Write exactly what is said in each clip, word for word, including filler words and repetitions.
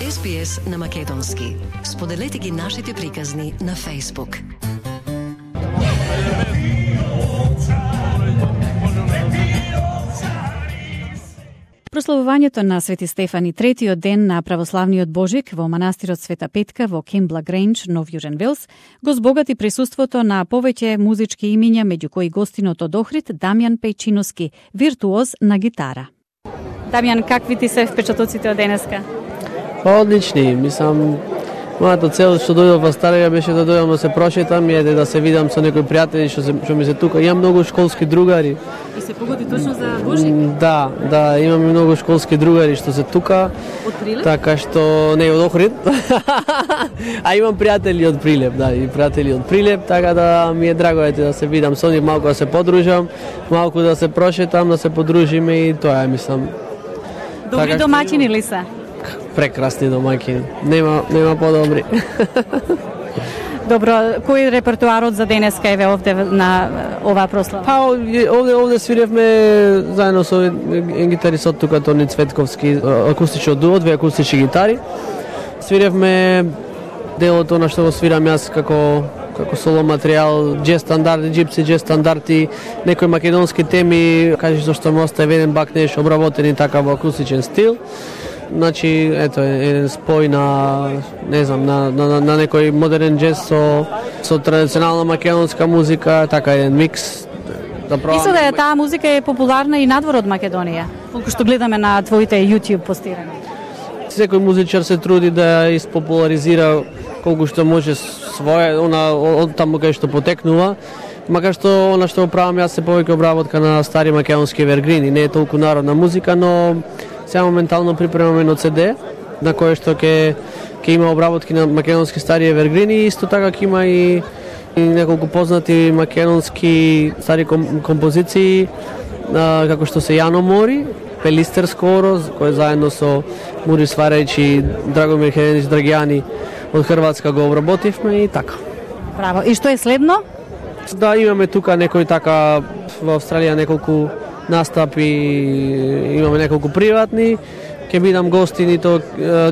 Ес Би Ес на македонски. Споделете ги нашите приказни на Facebook. Прославувањето на Свети Стефан и третиот ден на православниот Божик во манастирот Света Петка во Кембла Грейндж, Нов Јужен Велс, го збогати присуството на повеќе музички имиња, меѓу кои гостинот од Охрид Дамјан Пејчиновски, виртуоз на гитара. Дамјан, какви ти се впечатоците од денеска? Па одлични, мислам, мојата цел што дојдов во Старија беше да дојдам да се прошетам и да се видам со некои пријатели што, што ми се тука. Имам многу школски другари. И се погоди точно за Божик? Да, да, имам и многу школски другари што се тука. Од Прилеп? Така што не од Охрид. А имам пријатели од Прилеп, да, и пријатели од Прилеп, така да ми е драго ете да се видам со нив, малку да се подружам, малку да се прошетам, да се подружиме и тоа е, мислам. Добри така, домаќини ли се? Прекрасни домаќини. Нема нема подобри. Добро, кој репертуарот за денеска еве овде на оваа прослава? Па овде овде свиревме заедно со еден гитарист тука Тони Цветковски, акустично дуо, две акустични гитари. Свиревме делото на што го свирам јас како како соло материјал, джез стандарди, джипси джез стандарди, некои македонски теми, кажеш зашто ме остави еден бакнеш обработени така во акустичен стил. Значи, ето, еден спој на, не знам, на, на, на некој модерен джез со, со традиционална македонска музика, така еден микс. Да пробам. Мислам да е таа музика е популарна и надвор од Македонија, колку што гледаме на твоите YouTube постирања. Секој музичар се труди да ја испопуларизира колку што може своја, она од таму кај што потекнува, макар што она што правам јас се повеќе обработка на стари македонски евергрини, не е толку народна музика, но сега моментално припремаме едно Си Ди на кое што ќе ќе има обработки на македонски стари евергрини и исто така ќе има и, и неколку познати македонски стари ком, композиции а, како што се Јано Мори, Пелистер скоро, кој заедно со Мури Сварејич и Драгомир Хеленич Драгјани од Хрватска го обработивме и така. Браво. И што е следно? Да, имаме тука некој така во Австралија неколку настапи, имаме неколку приватни. Ќе бидам гостин то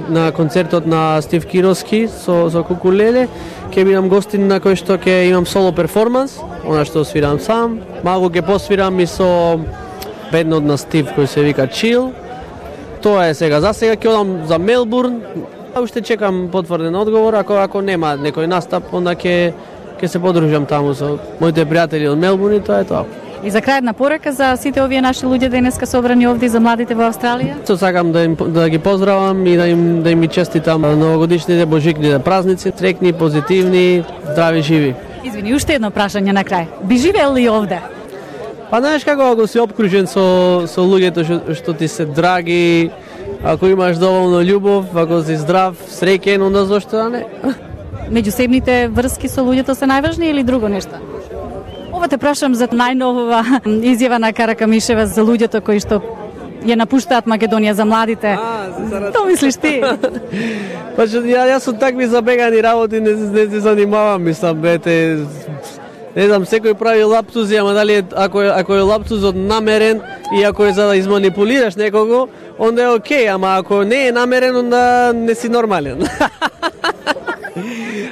на концертот на Стив Кировски со со кукулеле. Ќе бидам гостин на кој што ќе имам соло перформанс, она што свирам сам. Малку ќе посвирам и со бендот на Стив кој се вика Chill. Тоа е сега. За сега ќе одам за Мелбурн. Уште чекам потврден одговор, ако ако нема некој настап, онда ќе ќе се подружам таму со моите пријатели од Мелбурн и тоа е тоа. И за крај една порака за сите овие наши луѓе денеска собрани овде за младите во Австралија? Со сакам да им да ги поздравам и да им да им честитам новогодишните божикните празници, среќни, позитивни, здрави, живи. Извини, уште едно прашање на крај. Би живеел ли овде? Па знаеш како ако си обкружен со со луѓето што, што ти се драги, ако имаш доволно љубов, ако си здрав, среќен, онда зошто да не? Меѓусебните врски со луѓето се најважни или друго нешто? Ова те прашам за најнова изјава на Каракамишева за луѓето кои што ја напуштаат Македонија, за младите. А, Тоа мислиш ти? Па што ја, јас со такви забегани работи не, не се занимавам, мислам, бете, не знам, секој прави лаптузи, ама дали е, ако е, ако е лаптузот намерен и ако е за да изманипулираш некого, онда е окей, ама ако не е намерен, онда не си нормален.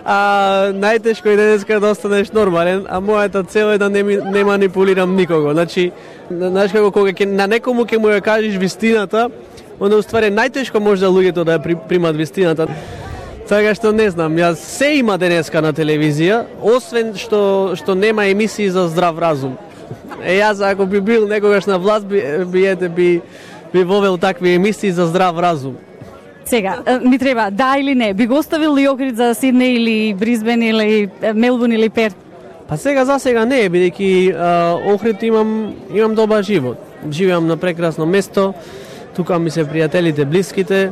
А најтешко е денеска да останеш нормален, а мојата цел е да не, не манипулирам никого. Значи, знаеш како кога ке, на некому ќе му ја кажеш вистината, онда уствари најтешко може да луѓето да ја при, примат вистината. Така што не знам, јас се има денеска на телевизија, освен што што нема емисии за здрав разум. Е јас ако би бил некогаш на власт би би ете би би вовел такви емисии за здрав разум. Сега, ми треба да или не, би го оставил ли Охрид за Сидне или Брисбен или Мелбурн или Перт? Па сега за сега не, бидејќи Охрид имам имам добар живот. Живеам на прекрасно место. Тука ми се пријателите, блиските.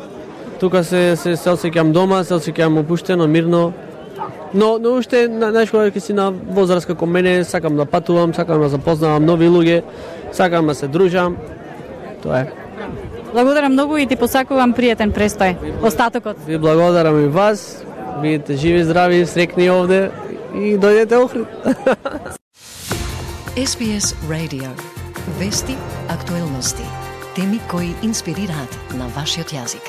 Тука се се, се осеќам дома, се осеќам опуштено, мирно. Но но уште знаеш кога ќе си на возраст како мене, сакам да патувам, сакам да запознавам нови луѓе, сакам да се дружам. Тоа е. Благодарам многу и ти посакувам пријатен престој. Остатокот. Ви благодарам и вас. Бидете живи, здрави, среќни овде и дојдете Охрид. Ес Би Ес Radio. Вести, актуелности, теми кои инспирираат на вашиот јазик.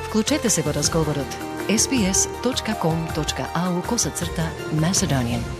Вклучете се во разговорот. ес би ес точка ком точка ау косацрта Macedonian